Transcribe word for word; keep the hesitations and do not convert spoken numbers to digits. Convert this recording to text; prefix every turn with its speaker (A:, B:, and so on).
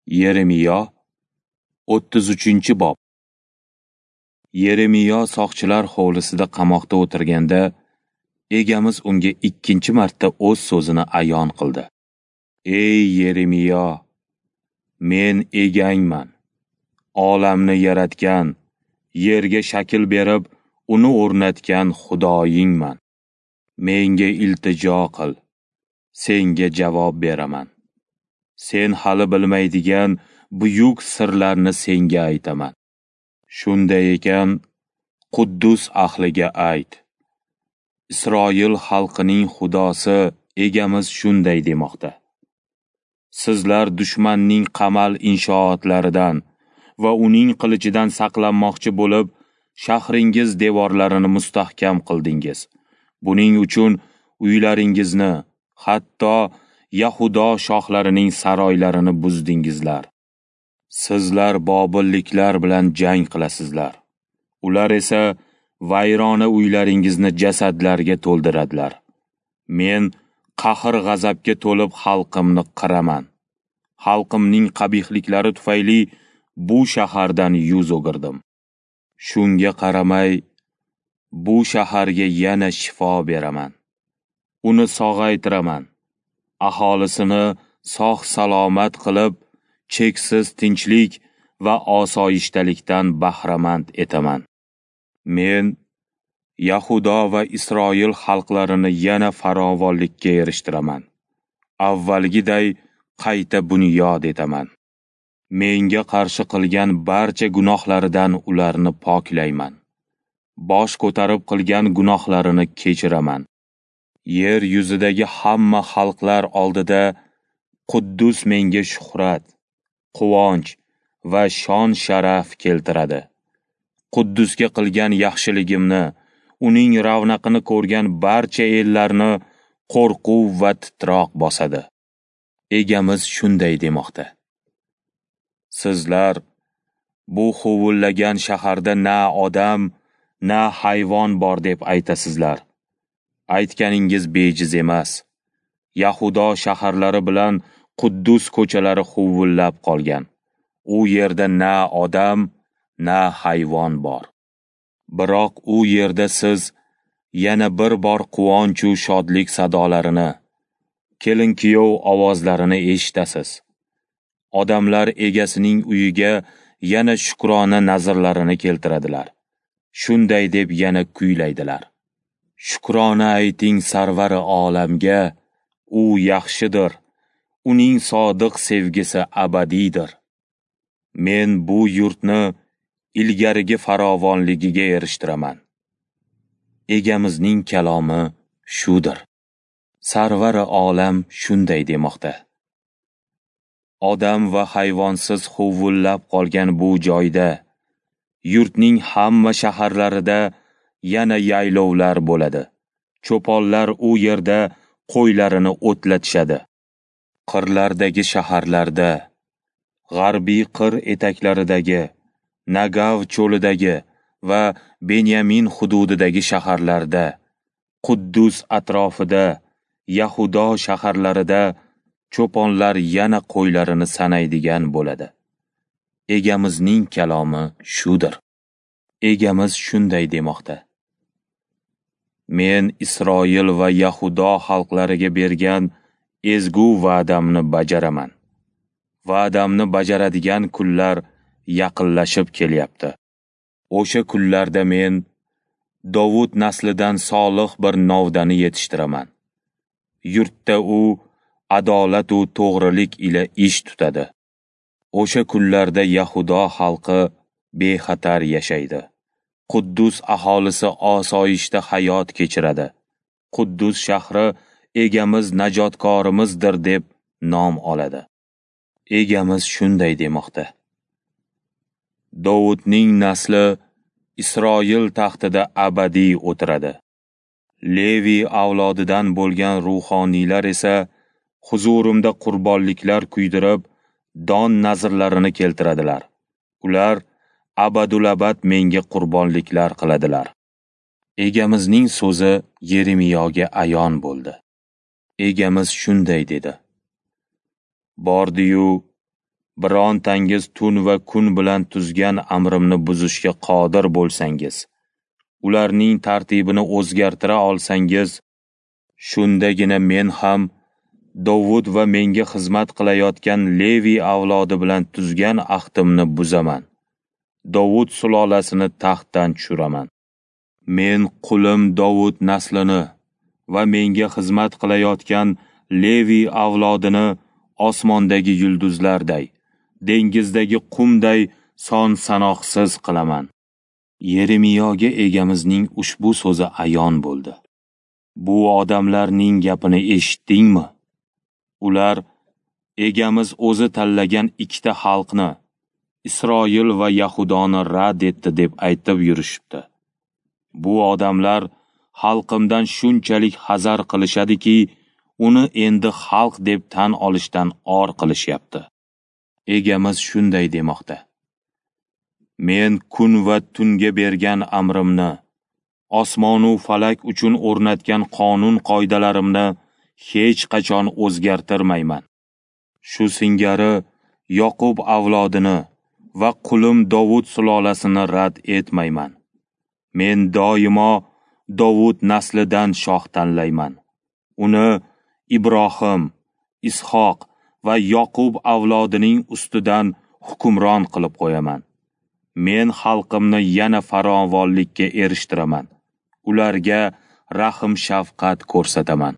A: Yeremiyo o'ttiz uchinchi bob. Yeremiyo soqchilar hovlisida qamoqda o'tirganda, Egamiz unga ikkinchi marta o'z so'zini ayon qildi. Ey Yeremiyo, men egangman. Olamni yaratgan, yerga shakl berib, uni o'rnatgan Xudoyingman. Menga iltijo qil, senga javob beraman. Sen hali bilmaydigan buyuk sirlarni senga aytaman. Shunday ekan, Quddus ahliga ayt. Isroil xalqining Xudosi Egamiz shunday demoqda. Sizlar dushmanning qamal inshootlaridan va uning qilichidan saqlanmoqchi bo'lib, shahringiz devorlarini mustahkam qildingiz. Buning uchun uylaringizni, hatto Yahudo shohlarining saroylarini buzdingizlar. Sizlar bobilliklar bilan jang qilasizlar. Ular esa vayrona uylaringizni jasadlarga to'ldiradilar. Men qahr-g'azabga to'lib xalqimni qiraman. Xalqimning qabihliklari tufayli bu shahardan yuz o'girdim. Shunga qaramay, bu shaharga yana shifo beraman. Uni sog'aytiraman. Aholisini sog'-salomat qilib, cheksiz tinchlik va osoyishtalikdan bahramand etaman. Men Yahudo va Isroil xalqlarini yana farovonlikka erishtiraman. Avvalgiday qayta bunyod etaman. Menga qarshi qilgan barcha gunohlaridan ularni poklayman. Bosh ko'tarib qilgan gunohlarini kechiraman. Yer yuzidagi hamma xalqlar oldida Quddus menga shuhrat, quvonch va shon-sharaf keltiradi. Quddusga qilgan yaxshiligimni, uning ravnaqini ko'rgan barcha ellarni qo'rquv va titroq bosadi. Egamiz shunday demoqda. Sizlar bu huvullagan shaharda na odam, na hayvon bor deb aytasizlar. Aytganingiz bejiz emas. Yahudo shaharlari bilan Quddus ko'chalari huvullab qolgan. U yerda na odam, na hayvon bor. Biroq u yerda siz yana bir bor quvonch u shodlik sadolarini, kelin-kuyov ovozlarini eshitasiz. Odamlar egasining uyiga yana shukrona nazrlarini keltiradilar. Shunday deb yana kuylaydilar. Shukrona ayting sarvari olamga, u yaxshidir, uning sodiq sevgisi abadiydir. Men bu yurtni ilgarigi farovonligiga erishtiraman. Egamizning kalomi shudir. Sarvari olam shunday demoqda. Odam va hayvonsiz huvullab qolgan bu joyda, yurtning hamma shaharlarida yana yaylovlar bo'ladi. Cho'ponlar u yerda qo'ylarini o'tlatishadi. Qirlardagi shaharlarda, g'arbiy qir etaklaridagi, Nagav cho'lidagi va Benyamin hududidagi shaharlarda, Quddus atrofida, Yahudo shaharlarida cho'ponlar yana qo'ylarini sanaydigan bo'ladi. Egamizning kalomi shudir. Egamiz shunday demoqda. Men Isroil va Yahudo xalqlariga bergan ezgu va'damni bajaraman. Va'damni bajaradigan kunlar yaqinlashib kelyapti. O'sha kunlarda men Dovud naslidan solih bir novdani yetishtiraman. Yurtda u adolat u to'g'rilik ila ish tutadi. O'sha kunlarda Yahudo xalqi bexatar yashaydi. Quddus aholisi osoyishta hayot kechiradi. Quddus shahri Egamiz najotkorimizdir deb nom oladi. Egamiz shunday demoqda. Dovudning nasli Isroil taxtida abadiy o'tiradi. Levi avlodidan bo'lgan ruhoniylar esa huzurimda qurbonliklar kuydirib, don nazrlarini keltiradilar. Ular abadulabad menga qurbonliklar qiladilar. Egamizning so'zi Yeremiyoga ayon bo'ldi. Egamiz shunday dedi. Bordi-yu, Birontangiz tun va kun bilan tuzgan amrimni buzishga qodir bo'lsangiz, ularning tartibini o'zgartira olsangiz, shundagina men ham Dovud va menga xizmat qilayotgan Levi avlodi bilan tuzgan ahdimni buzaman. Dovud sulolasini taxtdan tushiraman. Men qulim Dovud naslini va menga xizmat qilayotgan Levi avlodini osmondagi yulduzlarday, dengizdagi qumday son-sanoqsiz qilaman. Yeremiyoga Egamizning ushbu so'zi ayon bo'ldi. Bu odamlarning gapini eshitdingmi? Ular Egamiz o'zi tanlagan ikkita xalqni, Isroil va Yahudoni rad etdi deb aytib yurishibdi. Bu odamlar xalqimdan shunchalik hazar qilishadiki, uni endi xalq deb tan olishdan or qilishyapti. Egamiz shunday demoqda: Men kun va tunga bergan amrimni, osmon u falak uchun o'rnatgan qonun-qoidalarimni hech qachon o'zgartirmayman. Shu singari Yoqub avlodini va qulim Dovud sulolasini rad etmayman. Men doimo Dovud naslidan shoh tanlayman. Uni Ibrohim, Ishoq va Yoqub avlodining ustidan hukmron qilib qo'yaman. Men xalqimni yana farovonlikka erishtiraman. Ularga rahm-shafqat ko'rsataman.